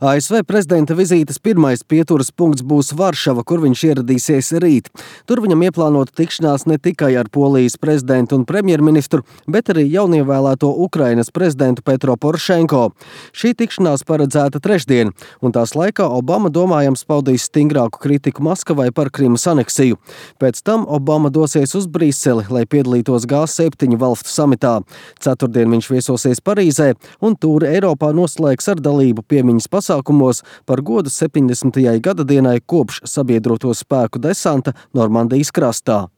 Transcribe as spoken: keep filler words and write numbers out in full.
A S V prezidenta vizītes pirmais pieturas punkts būs Varšava, kur viņš ieradīsies rīt. Tur viņam ieplānota tikšanās ne tikai ar Polijas prezidentu un premjerministru, bet arī jaunievēlēto Ukrainas prezidentu Petro Porošenko. Šī tikšanās paredzēta trešdien, un tās laikā Obama domājams paudīs stingrāku kritiku Maskavai par Krimas aneksiju. Pēc tam Obama dosies uz Briseli, lai piedalītos G septiņu valstu samitā. Ceturtdien viņš viesosies Parīzē un tūri Eiropā noslēgs ar dalību piemiņas pasākumos par godu septiņdesmitajai gadadienai kopš sabiedroto spēku desanta Normandijas krastā.